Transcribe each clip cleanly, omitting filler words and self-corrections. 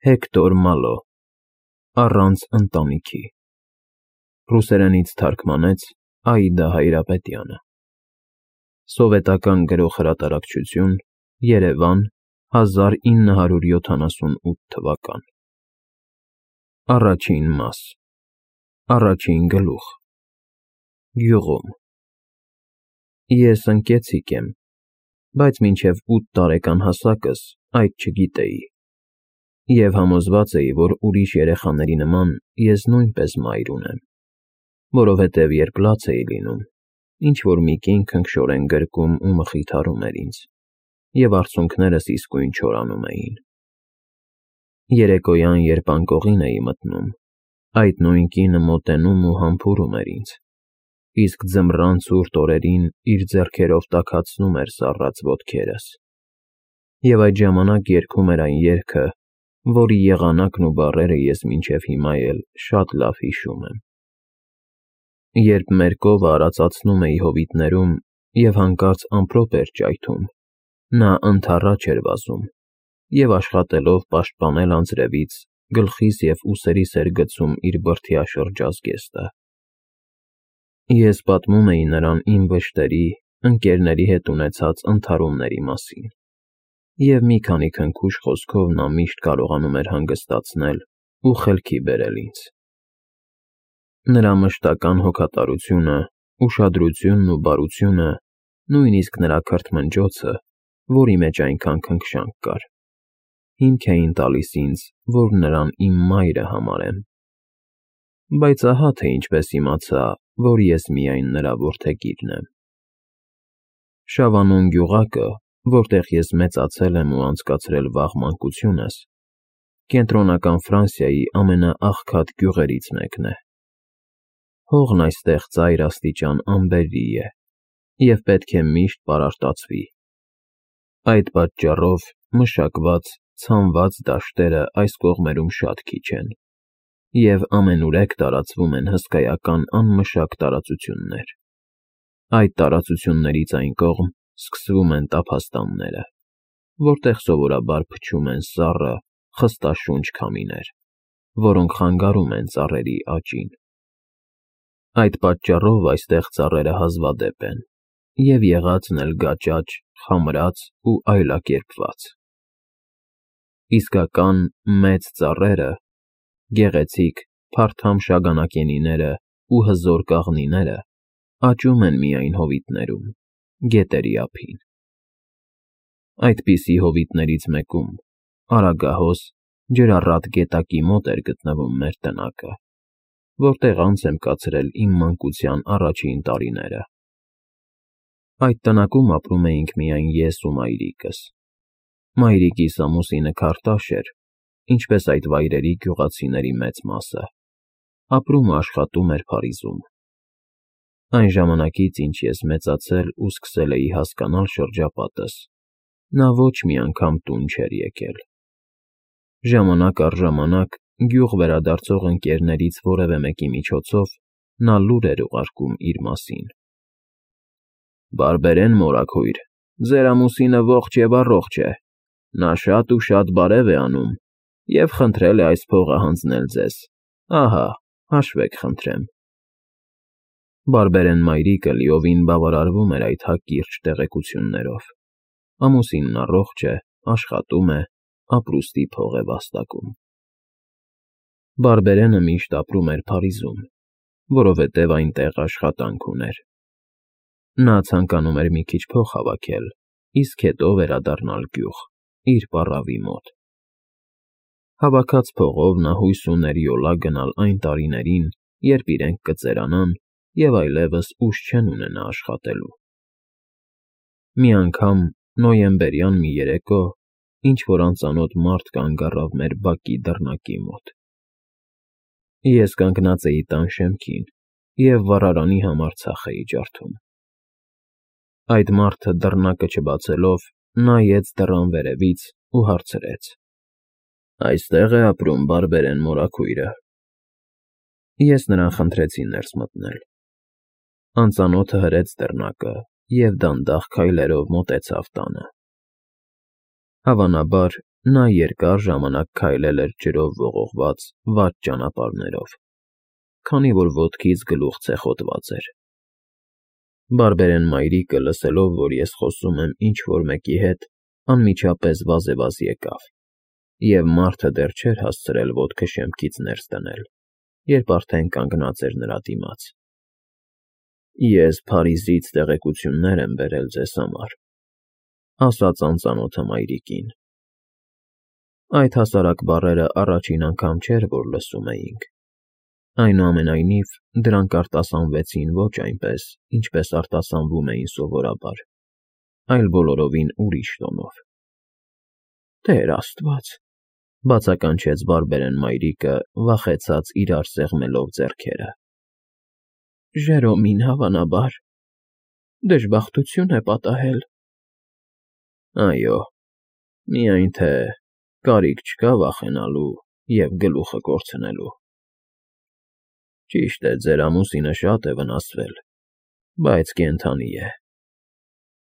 Հեկտոր Մալո, Առանց ընտանիքի, ռուսերենից թարգմանեց Աիդա Հայրապետյանը, սովետական գրող-հրատարակչություն, Երևան, 1978 թվական, Առաջին մաս, Առաջին գլուխ, Գյուղում, ես ընկեցիկ եմ, բայց մինչև 8 տարեկան հասակս այդ չգիտեի, և համոզված էի, որ ուրիշ երեխաների նման ես նույնպես մայր ունեմ, որովհետև երբ լաց էի լինում, ինչ-որ մի կին քնքշորեն գրկում ու մխիթարում էր ինձ, և արցունքներս իսկույն չորանում էին։ Երեկոյան, երբ անկողին էի մտնում, այդ նույն կինը մոտենում ու համբուրում էր ինձ, իսկ ձմռան ցուրտ օրերին իր ձեռքերով տաքացնում էր սառած ոտքերս, և այդ ժամանակ երգում էր այն երգը, որի եղանակն ու բառերը ես մինչև հիմա էլ շատ լավ հիշում եմ։ Երբ մեր կովը արածացնում էի հովիտներում և հանկարծ ամպրոպ էր ճայթում, նա ընդառաջ էր վազում և աշխատելով պաշտպանել անձրևից, գլխիս և ուսերիս էր գցում իր բրդյա շրջազգեստը։ Ես պատմում էի նրան իմ վշտերի, ընկերների հետ ունեցած ընդհարումների մասին, և մի քանի քնքուշ խոսքով նա միշտ կարողանում էր հանգստացնել ու խելքի բերել ինձ։ Նրա մշտական հոգատարությունը, ուշադրությունն ու բարությունը, նույնիսկ նրա քրթմնջոցը, որի մեջ այնքան քնքշանք կար, հիմք էին տալիս ինձ, որ նրան իմ մայրը համարեմ։ Բայց ահա թե ինչպես իմացա, որ ես միայն նրա որդեգիրն եմ։ Շավանուն գյուղակը, որտեղ ես մեծացել եմ ու անցկացրել վաղ մանկությունս, Կենտրոնական Ֆրանսիայի ամենաաղքատ գյուղերից մեկն է։ Հողն այստեղ ծայր աստիճան անբերրի է և պետք է միշտ պարարտացվի։ Այդ պատճառով մշակված, ցանված դաշտերը այս կողմերում շատ քիչ են, և ամենուրեք տարածվում են հսկայական անմշակ տարածություններ։ Այդ տարածություններից այն կողմ սկսվում են տափաստանները, որտեղ սովորաբար փչում են սառը, խստաշունչ քամիներ, որոնք խանգարում են ծառերի աճին։ Այդ պատճառով այստեղ ծառերը հազվադեպ են, և եղածն էլ գաճաճ, խամրած ու այլակերպված։ Իսկական մեծ ծառերը, գեղեցիկ, փարթամ շագանակենիները ու հզոր կաղնիները աճում են միայն հովիտներում, գետերի ափին։ Այդպիսի հովիտներից մեկում, Արագահոս, ջրառատ գետակի մոտ էր գտնվում մեր տնակը, որտեղ անց եմ կացրել իմ մանկության առաջին տարիները։ Այդ տնակում ապրում էինք միայն ես ու մայրիկս։ Մայրիկիս ամուսինը Քարտաշ էր, ինչպես այդ վայրերի գյուղացիների մեծ մասը, ապրում ու աշխատում էր Փարիզում։ Այն ժամանակից, ինչ ես մեծացել ու սկսել էի հասկանալ շրջապատս, նա ոչ մի անգամ տուն չէր եկել։ Ժամանակ առ ժամանակ գյուղ վերադարձող ընկերներից որևէ մեկի միջոցով նա լուր էր ուղարկում իր մասին։ «Բարբերեն մորաքույր, ձեր ամուսինը ողջ և առողջ է, նա շատ ու շատ բարև է անում և խնդրել է այս փողը հանձնել ձեզ, ահա, հաշվեք խնդրեմ»։ Բարբերեն մայրիկը լիովին բավարարվում էր այդ հակիրճ տեղեկություններով։ Ամուսինն առողջ է, աշխատում է, ապրուստի փող է վաստակում։ Բարբերենը միշտ ապրում էր Փարիզում, որովհետև այնտեղ աշխատանք ուներ։ Նա ցանկանում էր մի քիչ փող հավաքել, իսկ հետո վերադառնալ գյուղ, իր պառավի մոտ։ Հավաքած փողով նա հույս ուներ յոլա գնալ այն տարիներին, երբ իրենք կծերանան և այլևս ուժ չեն ունենա աշխատելու։ Մի անգամ, նոյեմբերյան մի երեկո, ինչ֊որ անծանոթ մարդ կանգ առավ մեր բակի դռնակի մոտ։ Ես կանգնած էի տան շեմքին և վառարանի համար ցախ էի ջարդում։ Այդ մարդը դռնակը չբացելով, նայեց դռան վերևից ու հարցրեց. «Այստե՞ղ է ապրում Բարբերեն մորաքույրը»։ Ես նրան խնդրեցի ներս մտնել։ Անծանոթը հրեց դռնակը և դանդաղ քայլերով մոտեցավ տանը։ Հավանաբար, նա երկար ժամանակ քայլել էր ջրով ողողված վատ ճանապարհներով, քանի որ ոտքից գլուխ ցեխոտված էր։ Բարբերեն մայրիկը, լսելով, որ ես խոսում եմ ինչ-որ մեկի հետ, անմիջապես վազևազ եկավ, և մարդը դեռ չէր հասցրել ոտքը շեմքից ներս դնել, երբ արդեն կանգնած էր նրա դիմաց։ «Ես Փարիզից տեղեկություններ եմ բերել ձեզ համար», ասաց անծանոթը մայրիկին։ Այդ հասարակ բառերը առաջին անգամ չէր, որ լսում էինք։ Այնուամենայնիվ, դրանք արտասանվեցին ոչ այնպես, ինչպես արտասանվում էին սովորաբար, այլ բոլորովին ուրիշ տոնով։ «Տեր Աստված», բացականչեց Բարբերեն մայրիկը, վախեցած իրար սեղմելով ձեռքերը։ «Ժերոմին, հավանաբար, դժբախտություն է պատահել»։ «Այո, միայն թե կարիք չկա վախենալու և գլուխը կորցնելու։ Ճիշտ է, ձեր ամուսինը շատ է վնասվել, բայց կենդանի է։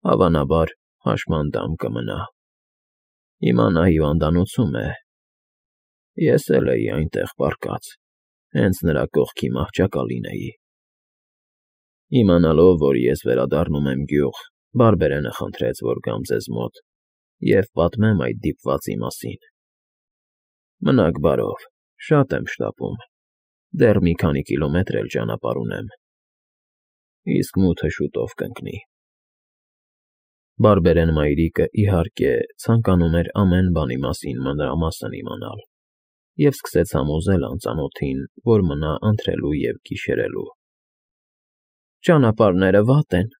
Հավանաբար, հաշմանդամ կմնա։ Հիմա նա հիվանդանոցում է։ Ես էլ էի այնտեղ պառկած, հենց նրա կողքի մահճակալին էի»։ Իմանալով, որ ես վերադառնում եմ գյուղ, Բարբերենը խնդրեց, որ գամ ձեզ մոտ և պատմեմ այդ դիպվածի մասին։ Մնաք բարով, շատ եմ շտապում, դեռ մի քանի կիլոմետր էլ ճանապարհ ունեմ, իսկ մութը շուտով կընկնի։ Բարբերեն մայրիկը, իհարկե, ցանկանում էր ամեն բանի մասին մանրամասն իմանալ և սկսեց համոզել անծանոթին, որ մնա ընթրելու և գիշերելու։ «Ճանապարհները վատ են,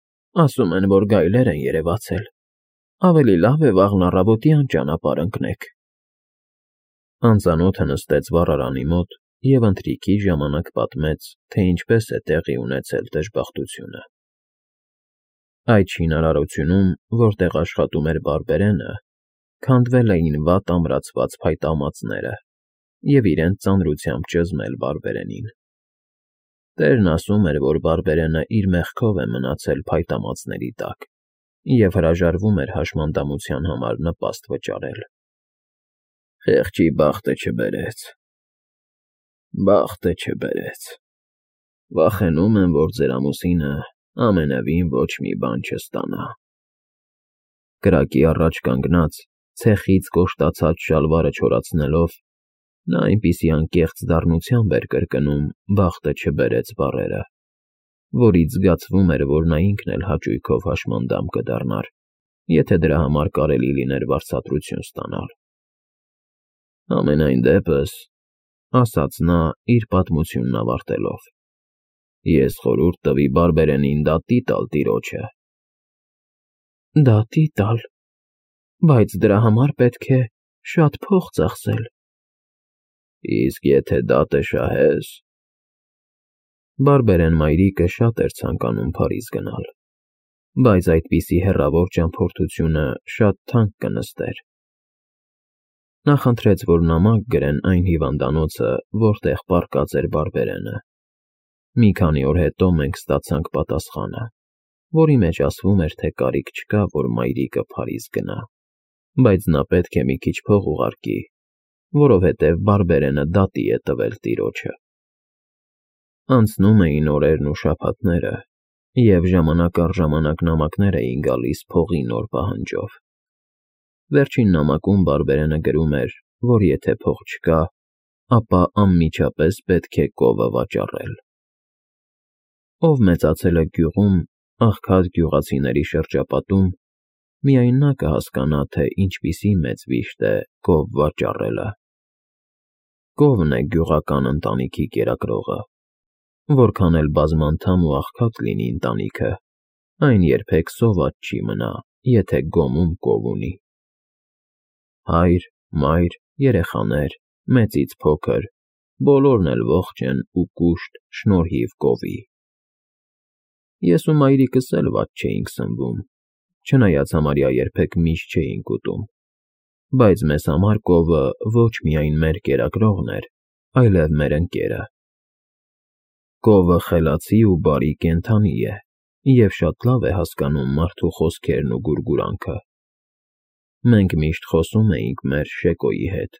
ասում են, որ գայլեր են երևացել։ Ավելի լավ է վաղն առավոտյան ճանապարհ ընկնեք»։ Անծանոթը նստեց վառարանի մոտ և ընթրիքի ժամանակ պատմեց, թե ինչպես է տեղի ունեցել դժբախտությունը։ Այդ շինարարությունում, որտեղ աշխատում էր Բարբերենը, քանդվել էին վատ ամրացված փայտամածները և իրենց ծանրությամբ ճզմել Բարբերենին։ Տերն ասում էր, որ Բարբերենը իր մեղքով է մնացել փայտամածների տակ և հրաժարվում էր հաշմանդամության համար նպաստ վճարել։ «Խեղճի բախտը չբերեց, բախտը չբերեց։ Վախենում եմ, որ ձեր ամուսինը ամենևին ոչ մի բան չստանա»։ Կրակի առաջ կանգնած, ցեխից կոշտացած շալվարը չորացնելով, նա այնպիսի անկեղծ դառնությամբ էր կրկնում «բախտը չբերեց» բառերը, որից զգացվում էր, որ նա ինքն էլ հաճույքով հաշմանդամ կդառնար, եթե դրա համար կարելի լիներ վարձատրություն ստանալ։ «Համենայն դեպս», ասաց նա, իր պատմությունն ավարտելով, «ես խորհուրդ տվի Բարբերենին դատի տալ տիրոջը»։ «Դատի տալ, բայց դրա համար պետք է շատ փող ծախսել»։ «Իսկ եթե դատը շահես»։ Բարբերեն մայրիկը շատ էր ցանկանում Փարիզ գնալ, բայց այդպիսի հեռավոր ճամփորդությունը շատ թանկ կնստեր։ Նա խնդրեց, որ նամակ գրեն այն հիվանդանոցը, որտեղ պառկած էր Բարբերենը։ Մի քանի օր հետո մենք ստացանք պատասխանը, որի մեջ ասվում էր, թե կարիք չկա, որ մայրիկը Փարիզ գնա, բայց նա պետք է մի քիչ փող ուղարկի, որովհետև Բարբերենը դատի է տվել տիրոջը։ Անցնում էին օրերն ու շաբաթները, և ժամանակ առ ժամանակ նամակներ էին գալիս փողի նոր պահանջով։ Վերջին նամակում Բարբերենը գրում էր, որ եթե փող չկա, ապա անմիջապես պետք է կովը վաճառել։ Ով մեծացել է գյուղում, աղքատ գյուղացիների շրջապատում, միայն նա կհասկանա, թե ինչպիսի մեծ վիշտ է կով վաճառելը։ Կովն է գյուղական ընտանիքի կերակրողը։ Որքան էլ բազմանդամ ու աղքատ լինի ընտանիքը, այն երբեք սոված չի մնա, եթե գոմում կով ունի։ Հայր, մայր, երեխաներ, մեծից փոքր, բոլորն էլ ողջ են ու կուշտ շնորհիվ կովի։ Ես ու մայրիկս էլ վատ չէինք սնվում, չնայած համարյա երբեք միշ չէինք ուտում, բայց մեզ համար կովը ոչ միայն մեր կերակրողն էր, այլև մեր ընկերը։ Կովը խելացի ու բարի կենդանի է և շատ լավ է հասկանում մարդու խոսքերն ու գուրգուրանքը։ Մենք միշտ խոսում էինք մեր Շեկոյի հետ,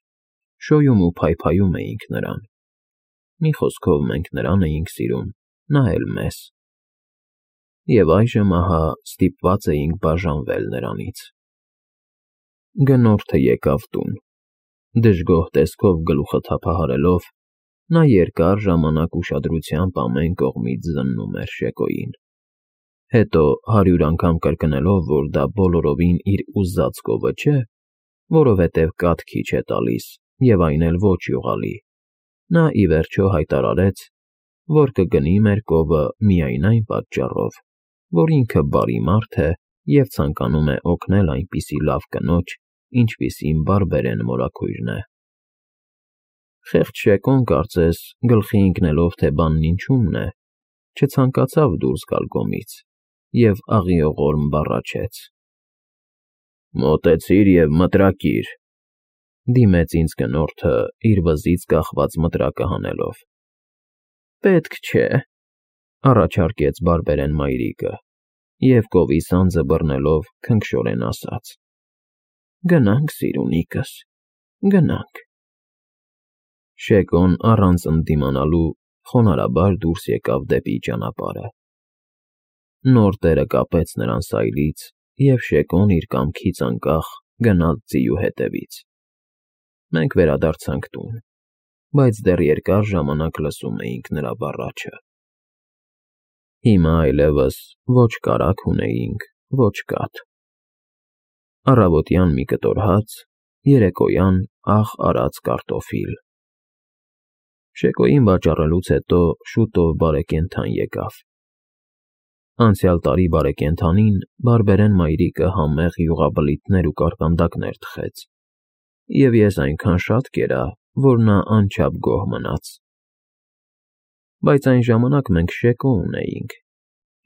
շոյում ու փայփայում էինք նրան։ Մի խոսքով մենք նրան էինք սիրում, նա էլ մեզ։ Եվ այժմ ահա ստիպված էինք բաժանվել նրանից։ Գնորդը եկավ տուն։ Դժգոհ տեսքով գլուխը թափահարելով, նա երկար ժամանակ ուշադրությամբ ամեն կողմից զննում էր Շեկոյին։ Հետո 100 անգամ կրկնելով, որ դա բոլորովին իր ուզած կովը չէ, որովհետև կաթ քիչ է տալիս և այն էլ ոչ յուղալի, նա ի վերջո հայտարարեց, որ կգնի մեր կովը միայն այն պատճառով, որ ինքը բարի մարդ է և ցանկանում է օգնել այնպիսի լավ կնոջ, ինչպիսին բարբերեն մորաքույրն է։ Խեղճ Շեկոն, կարծես, գլխի ընկնելով, թե բանն ինչումն է, չցանկացավ դուրս գալ գոմից և աղիողորմ բառաչեց. «Մոտեցիր և մտրակիր», դիմեց ինձ գնորդը, իր վզից կախված մտրակը հանելով։ «Պետք չէ», առաջարկեց բարբերեն մայրիկը և կովի սանձը բռնելով քնքշորեն ասաց. «Գնանք, սիրունիկս, գնանք»։ Շեկոն առանց ընդդիմանալու խոնարհաբար դուրս եկավ դեպի ճանապարհը։ Նոր տերը կապեց նրան սայլից, և Շեկոն իր կամքից անկախ գնաց ձիու հետևից։ Մենք վերադարձանք տուն, բայց դեռ երկար ժամանակ լսում էինք նրա բառաչը։ Հիմա այլևս ոչ կարագ ունեինք, ոչ կաթ։ Առավոտյան մի կտոր հաց, երեկոյան աղ արած կարտոֆիլ։ Շեկոյին վաճառելուց հետո շուտով բարեկենդան եկավ։ Անցյալ տարի բարեկենդանին բարբերեն մայրիկը համեղ յուղաբլիթներ ու կարկանդակներ թխեց, և ես այնքան շատ կերա, որ նա անչափ գոհ մնաց։ Բայց այն ժամանակ մենք Շեկո ունեինք,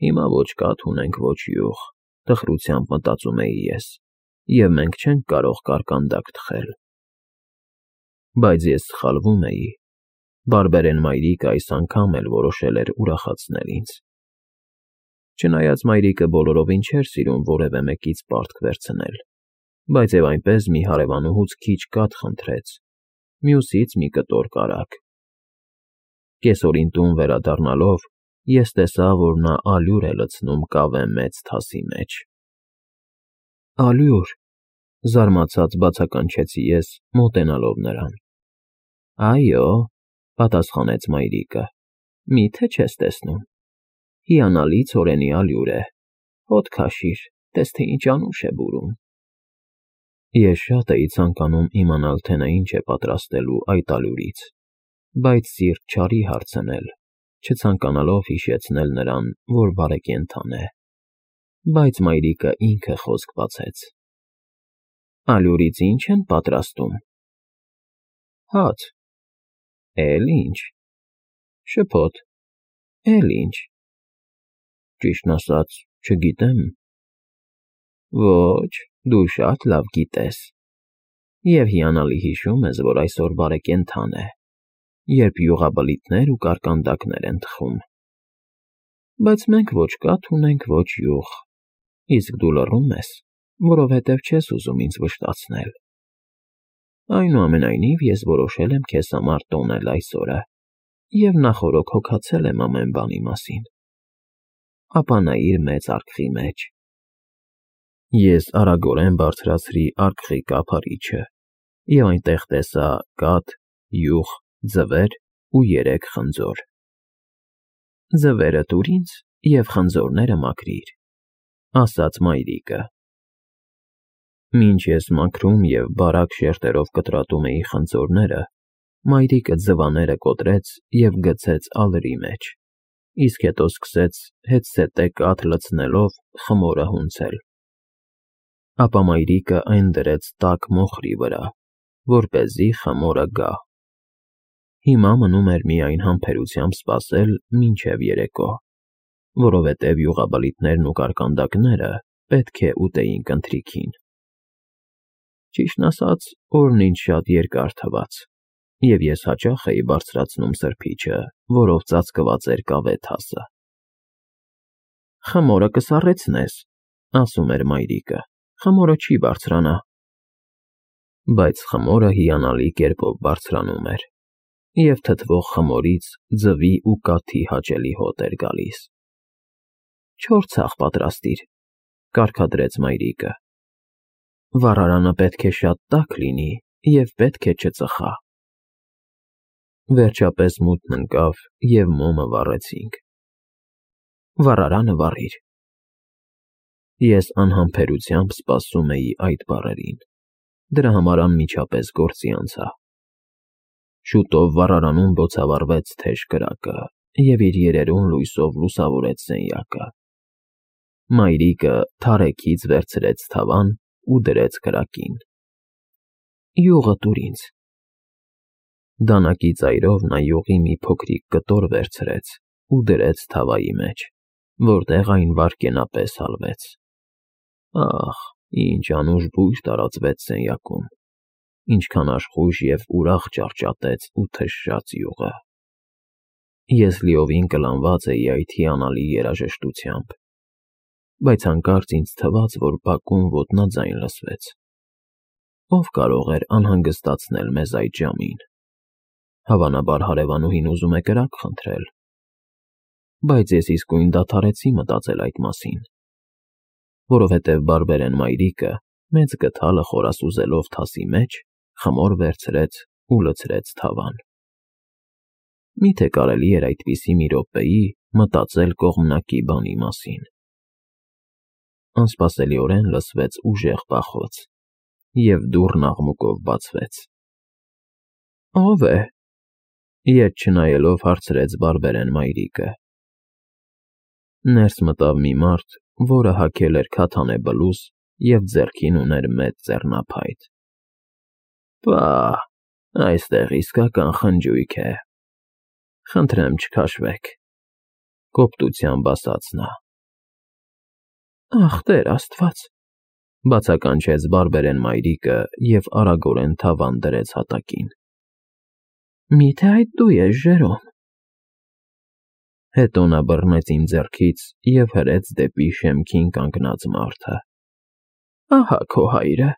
հիմա ոչ կաթ ունենք, ոչ յուղ, տխրությամբ մտածում էի ես, և մենք չենք կարող կարկանդակ թխել։ Բայց ես սխալվում էի։ Բարբերեն մայրիկը այս անգամ էլ որոշել էր ուրախացնել ինձ։ Չնայած մայրիկը բոլորովին չէր սիրում որևէ մեկից պարտք վերցնել, բայց և այնպես մի հարևանուհուց քիչ կաթ խնդրեց, մյուսից մի կտոր կարագ։ Կեսօրին տուն վերադառնալով ես տեսա, որ նա ալյուր է լցնում կավե մեծ թասի մեջ։ «Ալյուր», զարմացած բացականչեցի ես, մոտենալով նրան։ «Այո», պատասխանեց մայրիկը, «մի՞թե չես տեսնում։ Հիանալի ցորենի ալյուր է, հոտ քաշիր, տես թե ինչ անուշ է բուրում»։ Ես շատ էի ցանկանում իմանալ, թե նա ինչ է պատրաստելու այդ ալյուրից, բայց սիրտ չարի հարցնել, չցանկանալով հիշեցնել նրան, որ բարեկենդան է։ Բայց մայրիկը ինքը խոսք բացեց. «Ալյուրից ի՞նչ են պատրաստում»։ «Հաց»։ «Էլ ի՞նչ»։ «Շփոթ»։ «Էլ ի՞նչ»։ «Ճիշտն ասած, չգիտեմ»։ «Ոչ, դու շատ լավ գիտես։ Եվ հիանալի հիշում ես, որ այսօր բարեկենդան է, երբ յուղաբլիթներ ու կարկանդակներ են թխում։ Բայց մենք ոչ կաթ ունենք, ոչ յուղ, իսկ դու լռում ես, որովհետև չես ուզում ինձ վշտացնել։ Այնուամենայնիվ ես որոշել եմ քեզ համար տոնել այս օրը և նախօրոք հոգացել եմ ամեն բանի մասին։ Ապա նայիր մեծ արկղի մեջ։ Ես արագորեն բարձրացրի արկղի կափարիչը և այնտեղ տեսա կաթ, յուղ, ձվեր ու 3 խնձոր։ «Ձվերը տուր ինձ և խնձորները մաքրիր», ասաց մայրիկը։ Մինչ ես մաքրում և բարակ շերտերով կտրատում էի խնձորները, մայրիկը ձվաները կոտրեց և գցեց ալրի մեջ, իսկ հետո սկսեց հետզհետե կաթ լցնելով խմորը հունցել։ Ապա մայրիկը այն դրեց տաք մոխրի վրա, որպեսզի խմորը գա։ Հիմա մնում էր միայն համբերությամբ սպասել մինչև երեկո, որովհետև յուղաբլիթներն ու կարկանդակները պետք է ուտեինք ընթրիքին։ Ճիշտն ասած, օրն ինձ շատ երկար թվաց, և ես հաճախ էի բարձրացնում սրբիչը, որով ծածկված էր կավե թասը։ «Խմորը կսառեցնես», ասում էր մայրիկը, «խմորը չի բարձրանա, բայց խմորը հիանալի կերպով բարձրանում էր, և թթվող խմորից ձվի ու կաթի հաճելի հոտ էր գալիս։ «Չորս ցախ պատրաստիր», կարգադրեց մայրիկը։ «Վառարանը պետք է շատ տաք լինի և պետք է չծխա»։ Վերջապես մութն ընկավ, և մոմը վառեցինք։ «Վառարանը վառիր»։ Ես անհամբերությամբ սպասում էի այդ բառերին, դրա համար անմիջապես գործի անցա։ Շուտով վառարանում բոցավառվեց թեժ կրակը և իր երերուն լույսով լուսավորեց սենյակը։ Մայրիկը թարեքից վերցրեց թավան ու դրեց կրակին։ «Յուղը տուր ինձ»։ Դանակի ծայրով նա յուղի մի փոքրիկ կտոր վերցրեց ու դրեց թավայի մեջ, որտեղ այն վայրկենապես հալվեց։ Ահ, ինչ անուշ բույր տարածվեց սենյակում, ինչքան աշխույժ և ուրախ ճարճատեց ու թշաց յուղը։ Ես լիովին կլանված էի այդ հիանալի երաժշտությամբ, բայց հանկարծ ինձ թվաց, որ բակում ոտնաձայն լսվեց։ Ո՞վ կարող էր անհանգստացնել մեզ այդ ժամին։ Հավանաբար հարևանուհին ուզում է կրակ խնդրել։ Բայց ես իսկույն դադարեցի մտածել այդ մասին, որովհետև բարբերեն մայրիկը մեծ գդալը խորասուզելով թասի մեջ խմոր վերցրեց ու լցրեց թավան։ Միթե կարելի էր այդպիսի մի րոպեի մտածել կողմնակի բանի մասին։ Անսպասելիորեն լսվեց ուժեղ պախոց, և դուռն աղմուկով բացվեց։ «Ո՞վ է»։ Ետ չնայելով հարցրեց բարբերեն մայրիկը։ Ներս մտավ մի մարդ, որը հագել էր քաթանե բլուզ և ձեռքին ուներ մեծ ձեռնափայտ։ «Պաաա՜, այստեղ իսկական խնջույք է։ Խնդրեմ չքաշվեք», կոպտությամբ ասաց նա։ «Ախ, Տեր Աստված», բացականչեց բարբերեն մայրիկը և արագորեն թավան դրեց հատակին։ «Մի՞թե այդ դու ես, Ժերոմ»։ Հետո նա բռնեց իմ ձեռքից և հրեց դեպի շեմքին կանգնած մարդը։ «Ահա քո հայրը»։